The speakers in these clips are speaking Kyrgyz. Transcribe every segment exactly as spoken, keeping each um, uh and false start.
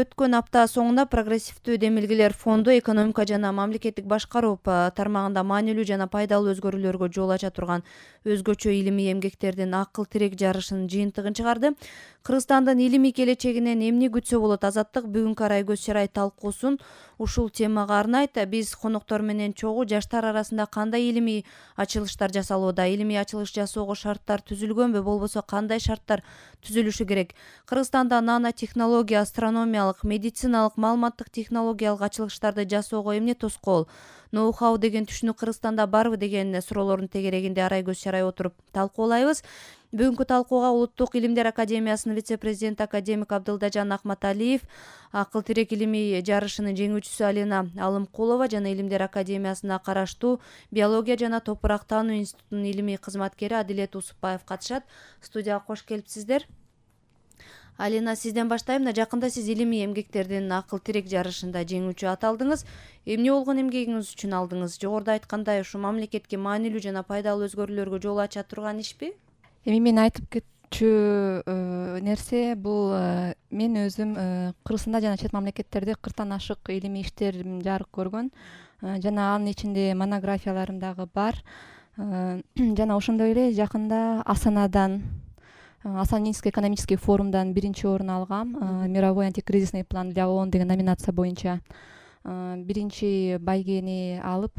өткөн апта соңунда Прогрессивдүү демилгелер фонду экономика жана мамлекеттик башкаруу тармагында маанилүү жана пайдалуу өзгөрүүлөргө жол ача турган өзгөчө илимий эмгектердин акыл тирек жарышынын жыйынтыгын чыгарды. Кыргызстандын илимий келечегинен эмне күтсө болот? Азаттык бүгүнкү арай көз чарай талкуусун ушул темага арнайт. Биз коноктор менен чогуу жаштар арасында кандай илимий ачылыштар жасалууда, илимий ачылыш жасоого шарттар түзүлгөнбү, болбосо кандай шарттар түзүлүшү керек? Кыргызстанда нанотехнология, астрономиялык, медициналык, маалыматтык технологиялык ачылыштарды жасоого эмне тоскоол? Ноу-хау деген түшүнүк Кыргызстанда барбы деген суроолордун тегерегинде арай көз чарай отуруп талкуулайбыз. Бүгүнкү талкууга Улуттук илимдер академиясынын вице-президенти академик Абдылдажан Ахматалиев, акыл тирек илимий жарышынын жеңүүчүсү Алина Алымкулова жана Илимдер академиясына караштуу биология жана топурак таануу институтунун илимий кызматкери Адилет Усупбаев катышат. Студияга кош келипсиздер. Алина, сизден баштайм. Жакында сиз илимий эмгектердин акыл тирек жарышында жеңүүчү аталдыңыз. Эмне болгон эмгегиңиз үчүн алдыңыз? Жогоруда айткандай, ушу мамлекетке маанилүү жана пайдалуу өзгөрүүлөргө жол ача турган ишпи? Эми мен айтып кетчү нерсе бул мен өзүм Кыргызстанда жана чет мамлекеттерде кырктан ашык илимий иштерим жарык көргөн жана анын ичинде монографияларым дагы бар. Жана ошондой эле жакында Астанадан Астана экономический форумдан биринчи орун алгам. Мировой антикризисный план для ООН деген номинация боюнча биринчи байгени алып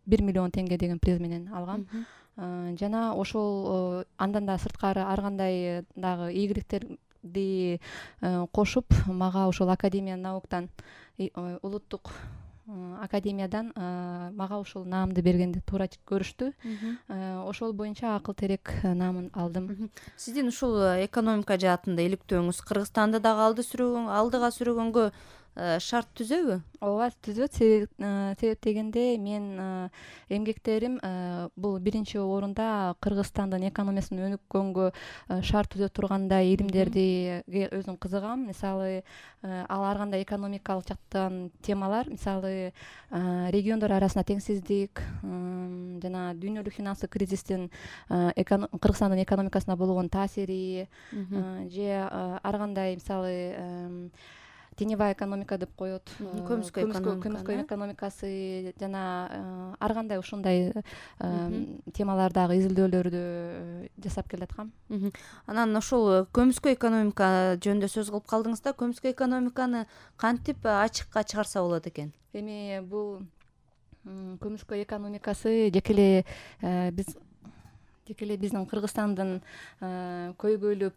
бир миллион теңге деген приз менен алгам. Жана ошол андан да сырткары ар кандай дагы ийгиликтерди кошуп, мага ошол Академия науктан, улуттук академиядан мага ушул наамды бергенди туура көрүштү. Ошол боюнча акыл терек наамын алдым. Сиздин ушул экономика жаатында иликтөөңүз Кыргызстанды дагы алды сүргөн, алдыга сүргөнгө шарт түзөбү? Ооба, түзөт. Себеп дегенде мен эмгектерим бул биринчи орунда Кыргызстандын экономикасын өнүккөнгө шарт түзө тургандай илимдерди өзүм кызыгам. Мисалы, ал ар кандай экономикалык жактан темалар, мисалы, региондор арасында теңсиздик жана дүйнөлүк финанстык кризистин Кыргызстандын экономикасына болгон таасири же ар кандай, мисалы, теневая экономика деп коет, көмүскө экономикасы жана ар кандай ушундай темалардагы изилдөөлөрдү жасап келаткам. Анан ошол көмүскө экономика жөнүндө сөз кылып калдыңыз да, көмүскө экономиканы кантип ачыкка чыгарса болот экен? Эми бул көмүскө экономикасы жеке эле биз Жеке эле биздин Кыргызстандын көйгөйлүү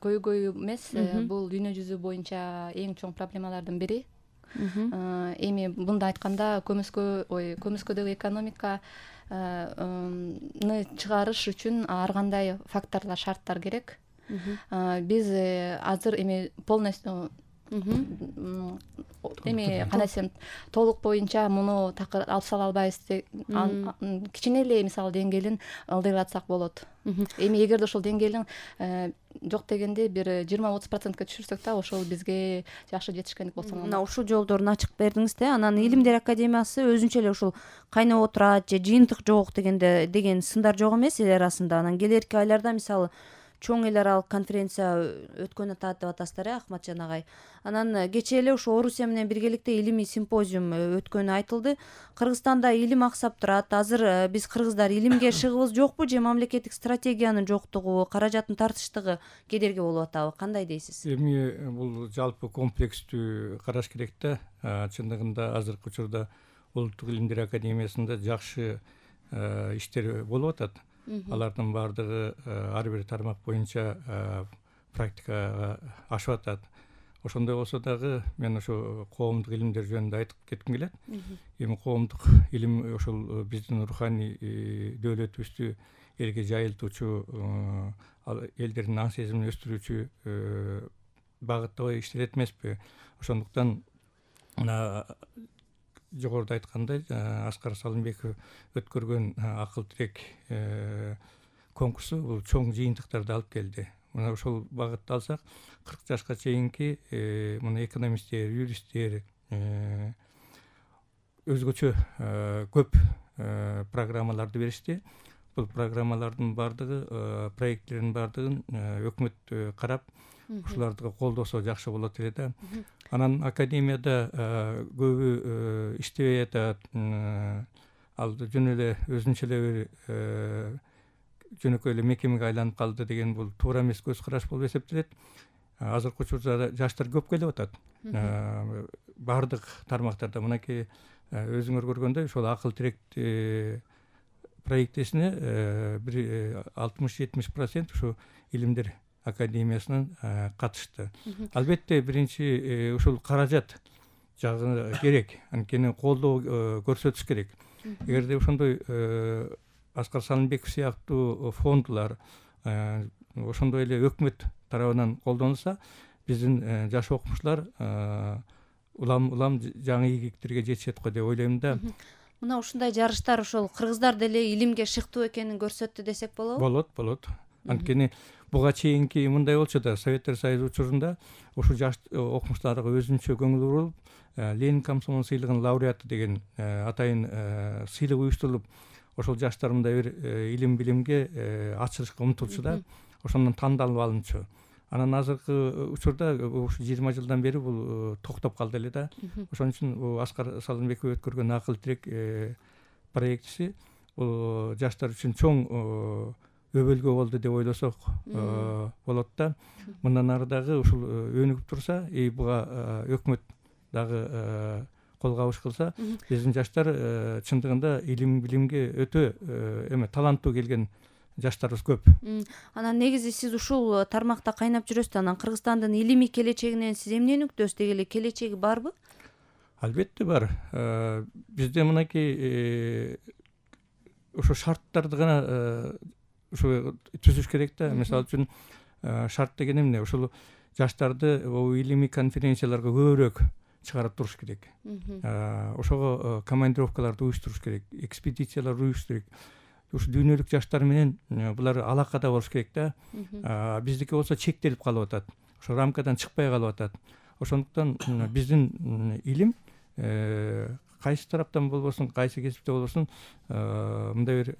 көйгөйү эмес, бул дүйнө жүзү боюнча эң чоң проблемалардын бири. Эми мындай айтканда, көмүскө ой көмүскөдөгү экономиканы чыгарыш үчүн ар кандай факторлор, шарттар керек. Биз азыр эми полностью эми кандай десем, толук боюнча муну такыр алып сала албайбыз. Кичине эле мисалы деңгээлин ылдыйлатсак болот. Эми эгерде ошол деңгээлин жок дегенде бир жыйырма отуз процентке түшүрсөк да, ошол бизге жакшы жетишкендик болсо болот. Мына ушул жолдорун ачык бердиңиз да. Анан Илимдер академиясы өзүнчө эле ушул кайнап отурат же жыйынтык жок дегенде деген сындар жок эмес эл арасында. Анан келерки айларда мисалы чоң эл аралык конференция өткөнү атат деп атасыздар, э, Ахматжан агай. Анан кечээ эле ошо Орусия менен биргеликте илимий симпозиум өткөнү айтылды. Кыргызстанда илим аксап турат. Азыр биз кыргыздар илимге шыгыбыз жокпу же мамлекеттик стратегиянын жоктугу, каражаттын тартыштыгы кедерги болуп атабы? Кандай дейсиз? Эми бул жалпы комплекстүү караш керек да. Чындыгында азыркы учурда Улуттук илимдер академиясында жакшы иштер болуп атат. Алардын баардыгы ар бир тармак боюнча практикага ашып атат. Ошондой болсо дагы мен ошо коомдук илимдер жөнүндө айтып кетким келет. Эми коомдук илим ошол биздин руханий дөөлөтүбүздү элге жайылтуучу, элдердин аң сезимин өстүрүүчү багыттагы иштелет эмеспи? Ошондуктан мына жогоруда айткандай, Аскар Салымбеков өткөргөн акыл тирек конкурсу бул чоң жыйынтыктарды алып келди. Мына ошол багытты алсак, кырк жашка чейинки мына экономисттер, юристтер өзгөчө көп программаларды беришти. Бул программалардын баардыгы, проекттердин баардыгын өкмөт карап, ушуларды колдосо жакшы болот эле да. Анан академияда көбү иштебей атат, ал жөн эле өзүнчө эле бир жөнөкөй эле мекемеге айланып калды деген бул туура эмес көз караш болуп эсептелет. Азыркы учурда жаштар көп келип атат. Бардык тармактарда мынакей өзүңөр көргөндөй ошол акыл тирек проектисине бир алтымыш жетимиш процент ушу илимдер академиясынан катышты. Албетте биринчи ушул каражат жагы керек, анткени колдоо көрсөтүш керек. Эгерде ошондой Аскар Салымбеков сыяктуу фондулар, ошондой эле өкмөт тарабынан колдонулса, биздин жаш окумуштуулар улам улам жаңы ийгиликтерге жетишет го деп ойлойм да. Мына ушундай жарыштар ошол кыргыздар деле илимге шыктуу экенин көрсөттү десек болобу? Болот, болот. Анткени буга чейинки мындай болчу да, Советтер Союзу учурунда ушул жаш окумуштууларга өзүнчө көңүл буруп, Ленин комсомол сыйлыгынын лауреаты деген атайын сыйлык уюштурулуп, ошол жаштар мындай бир илим билимге ачылышка умтулчу да, ошондон тандалып алынчу. Анан азыркы учурда ушу жыйырма жылдан бери бул токтоп калды эле да. Ошон үчүн Аскар Салымбеков өткөргөн акыл тирек проектиси бул жаштар үчүн чоң өбөлгө болду деп ойлосок болот да. Мындан ары дагы ушул өнүгүп турса, и буга өкмөт дагы кол кабыш кылса, биздин жаштар чындыгында илим билимге өтө эме таланттуу келген жаштарыбыз көп. Анан негизи сиз ушул тармакта кайнап жүрөсүз. Анан Кыргызстандын илимий келечегинен сиз эмнени үктөсүз? Деги эле келечеги барбы? Албетте бар. Бизде мынакей ошо шарттарды гана ушу түзүш керек да. Мисалы үчүн шарт деген эмне? Ушул жаштарды илимий конференцияларга көбүрөөк чыгарып туруш керек. Ошого командировкаларды уюштуруш керек, экспедициялар уюштуруш керек. Ушу дүйнөлүк жаштар менен булар алакада болуш керек да. Биздики болсо чектелип калып атат. Ошо рамкадан чыкпай калып атат. Ошондуктан биздин илим кайсы тараптан болбосун, кайсы кесипте болбосун мындай бир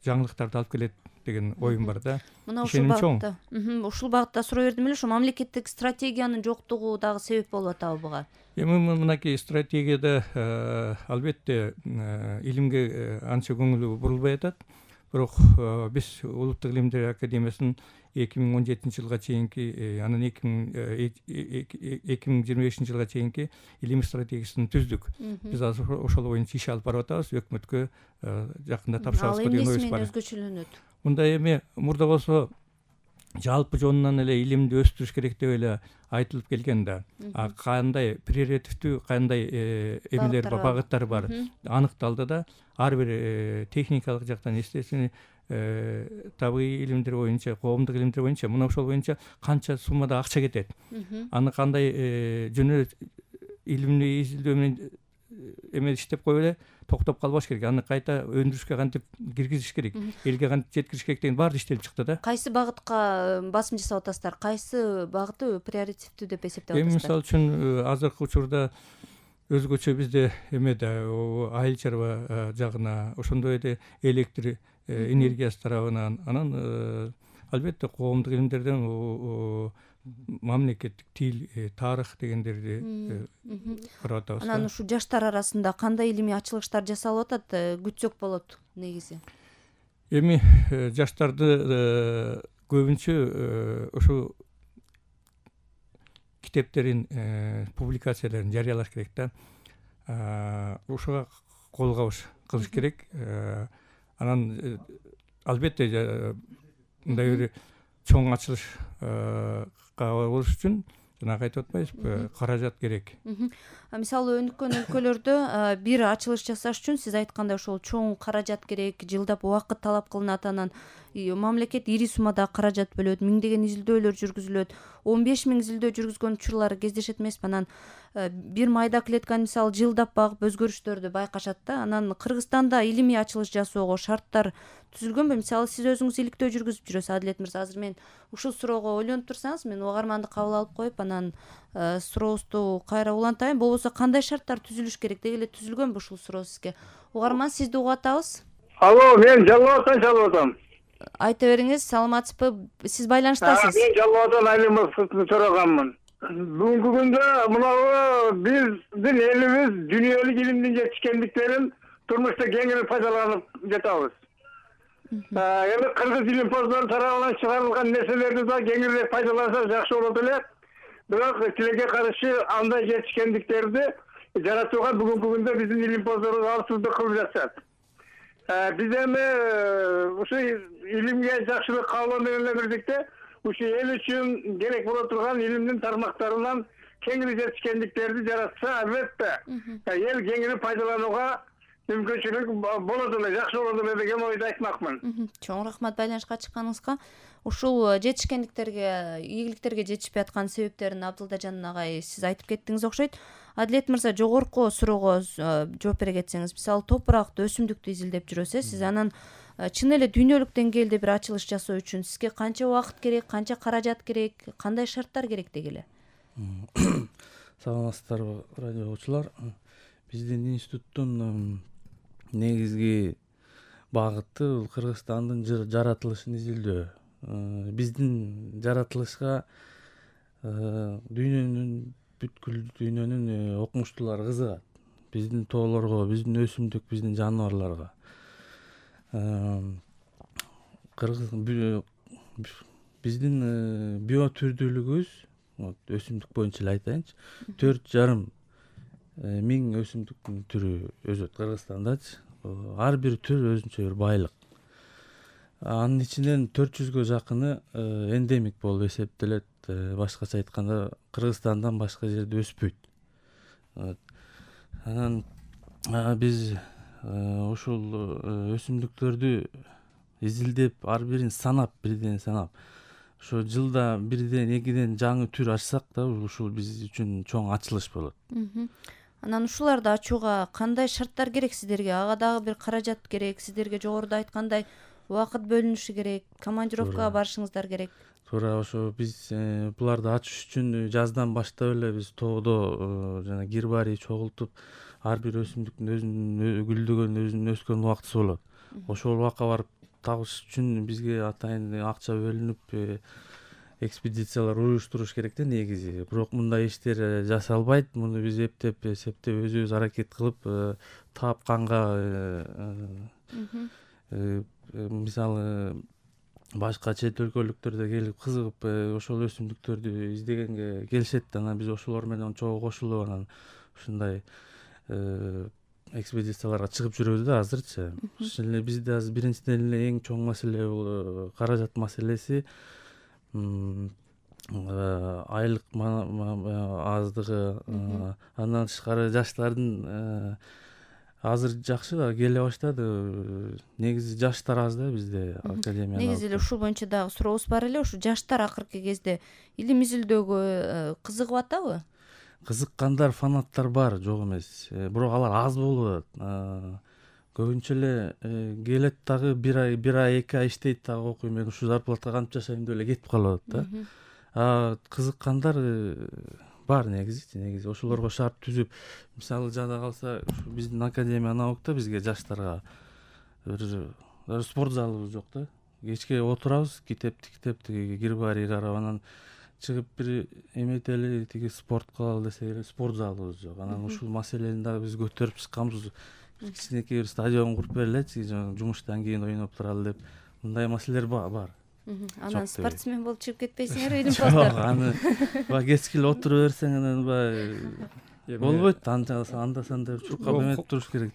жаңылыктарды алып келет деген оюм бар да. Мына ушул багытта, ушул багытта суроо бердим эле, ошо мамлекеттик стратегиянын жоктугу дагы себеп болуп атабы буга? Эми мынакей стратегияда албетте илимге анча көңүл бурулбай атат. Бирок биз Улуттук илимдер академиясынын эки миң он жетинчи жылга чейинки, анан эки миң жыйырма бешинчи жылга чейинки илимий стратегиясын түздүк. Биз азыр ошол боюнча иш алып барып атабыз, өкмөткө жакында тапшырабызга деген оюбуз бар. Ал эмнеси менен өзгөчөлөнөт? Мындай эми мурда болсо жалпы жонунан эле илимди өстүрүш керек деп эле айтылып келген да. А кандай приоритеттүү, кандай эмелер бар, багыттар бар аныкталды да. Ар бир техникалык жактан, естественно, табигый илимдер боюнча, коомдук илимдер боюнча, мына ошол боюнча канча суммада акча кетет. Аны кандай жөн эле илимди изилдөө менен эме иштеп коюп эле токтоп калбаш керек. Аны кайта өндүрүшкө кантип киргизиш керек, элге кантип жеткириш керек деген баары иштелип чыкты да. Кайсы багытка басым жасап атасыздар? Кайсы багыты приоритеттүү деп эсептеп атасыздар? Эми мисалы үчүн азыркы учурда өзгөчө бизде эме да, айыл чарба жагына, ошондой эле электр энергиясы тарабынан, анан албетте коомдук илимдерден мамлекеттик тил, тарых дегендерди карап атабыз. Анан ушу жаштар арасында кандай илимий ачылыштар жасалып атат, күтсөк болот негизи? Эми жаштарды көбүнчө ошо китептерин, публикацияларын жарыялаш керек да. Ошого кол кабыш кылыш керек. Анан албетте мындай бир чоң ачылышка болуш үчүн жанагы айтып атпайбызбы, каражат керек. Мисалы өнүккөн өлкөлөрдө бир ачылыш жасаш үчүн сиз айткандай ошол чоң каражат керек, жылдап убакыт талап кылынат. Анан мамлекет ири суммада каражат бөлөт, миңдеген изилдөөлөр жүргүзүлөт. он беш миң изилдөө жүргүзгөн учурлар кездешет эмеспи? Анан бир майда клетканы мисалы жылдап багып өзгөрүштөрдү байкашат да. Анан Кыргызстанда илимий ачылыш жасоого шарттар түзүлгөнбү? Мисалы сиз өзүңүз иликтөө жүргүзүп жүрөсүз, Адилет мырза. Азыр мен ушул суроого ойлонуп турсаңыз, мен угарманды кабыл алып коюп, анан сурообузду кайра улантайын. Болбосо кандай шарттар түзүлүш керек? Деги эле түзүлгөнбү ушул суроо сизге? Угарман, сизди угуп атабыз. Алло, мен жалып атам, жалып атам. айта бериңиз, саламатсызбы? Сиз байланыштасыз. Мен Жалал Абаддан айланмасын сураганмын. Бүгүнкү күндө мынау биздин элибиз дүйнөлүк илимдин жетишкендиктерин турмушта кеңири пайдаланып жатабыз. Эми кыргыз илимпоздору тарабынан чыгарылган нерселерди да кеңирээк пайдалансак жакшы болот эле. Бирок тилекке каршы андай жетишкендиктерди жаратууга бүгүнкү күндө биздин илимпоздорубуз алсыздык кылып жатышат. Биз эми ушу илимге жакшылык каалоо менен эле бирдикте ушу эл үчүн керек боло турган илимдин тармактарынан кеңири жетишкендиктерди жаратса, албетте эл кеңири пайдаланууга мүмкүнчүлүк болот эле, жакшы болот эле деген ойду айтмакмын. Чоң рахмат байланышка чыкканыңызга. Ушул жетишкендиктерге, ийгиликтерге жетишпей аткан себептерин Абдылдажан агай сиз айтып кеттиңиз окшойт. Адилет мырза, жогорку суроого жооп бере кетсеңиз, мисалы топуракты, өсүмдүктү изилдеп жүрөсүз, сиз анан чын эле дүйнөлүк деңгээлде бир ачылыш жасоо үчүн сизге канча убакыт керек, канча каражат керек, кандай шарттар керек деги эле? Саламатсыздарбы, радио угуучулар. Биздин институттун негизги багыты Кыргызстандын жаратылышын изилдөө. Биздин жаратылышка дүйнөнүн бүткүл дүйнөнүн окумуштуулары кызыгат. Биздин тоолорго, биздин өсүмдүк, биздин жаныбарларга. Кыргыз биздин биотүрдүүлүгүбүз, өсүмдүк боюнча эле айтайынчы, төрт жарым миң өсүмдүктүн түрү өсөт Кыргызстандачы. Ар бир түр өзүнчө бир байлык. Анын ичинен төрт жүзгө жакыны эндемик болуп эсептелет. Башкача айтканда, Кыргызстандан башка жерде өспөйт. Анан биз ушул өсүмдүктөрдү изилдеп, ар бирин санап, бирден санап, ошо жылда бирден, экиден жаңы түр ачсак да, ушул биз үчүн чоң ачылыш болот. Анан ушуларды ачууга кандай шарттар керек сиздерге? Ага дагы бир каражат керек, сиздерге жогоруда айткандай убакыт бөлүнүшү керек, командировкага барышыңыздар керек. Туура, ошо биз буларды ачыш үчүн жаздан баштап эле биз тоодо жана гербарий чогултуп, ар бир өсүмдүктүн өзүнүн гүлдөгөн, өзүнүн өскөн убактысы болот. Ошол убакка барып табыш үчүн бизге атайын акча бөлүнүп, экспедициялар уюштуруш керек да негизи. Бирок мындай иштер жасалбайт. Муну биз эптеп, эсептеп, өзүбүз аракет кылып, тапканга, мисалы башка чет өлкөлүктөр келип кызыгып ошол өсүмдүктөрдү издегенге келишет. Анан биз ошолор менен чогуу кошулуп, анан ушундай экспедицияларга чыгып жүрөбүз да азырчы. Ошол эле бизде азыр биринчиден эле эң чоң маселе бул каражат маселеси. Айлык аздыгы, андан тышкары жаштардын азыр жакшы да келе баштады. Негизи жаштар аз да бизде академияда. Негизи эле ушул боюнча дагы сурообуз бар эле. Ушу жаштар акыркы кезде илим изилдөөгө кызыгып атабы? Кызыккандар, фанаттар бар, жок эмес. Бирок алар аз болуп атат. Көбүнчө эле келет дагы бир ай, бир ай, эки ай иштейт дагы, окуйм, мен ушу зарплатага кантип жашайм деп эле кетип калып атат да. А кызыккандар бар негизи, негизи ошолорго шарт түзүп, мисалы жада калса, биздин Академия наукта бизге жаштарга бир спорт залыбыз жок да. Кечке отурабыз, китепти китепти гербарий карап, анан чыгып бир эметели, тиги спорт кылалы десек эле спорт залыбыз жок. Анан ушул маселени дагы биз көтөрүп чыкканбыз. Кичинекей бир стадион куруп бергилечи, жумуштан кийин ойноп туралы деп. Мындай маселелер бар. Анан спортсмен болуп чыгып кетпейсиңерби илимпоздор? Жок, аны баягы кечке эле отура берсең, анан баягы болбойт. Анда санда чуркап эметип туруш керек.